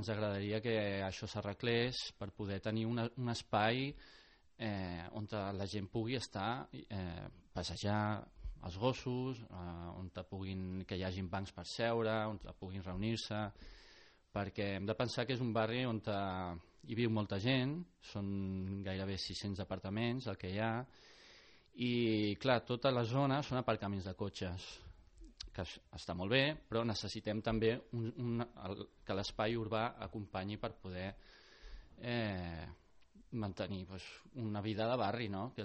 Ens agradaria que això s'arreglés per poder tenir un espai on la gent pugui estar, passejar els gossos, que hi hagin bancs per seure, on puguin reunir-se, perquè hem de pensar que és un barri on hi viu molta gent, són gairebé 600 apartaments el que hi ha, i clar, tota la zona són aparcaments de cotxes, que està molt bé, però necessitem també que l'espai urbà acompanyi per poder mantenir una vida de barri, no? Que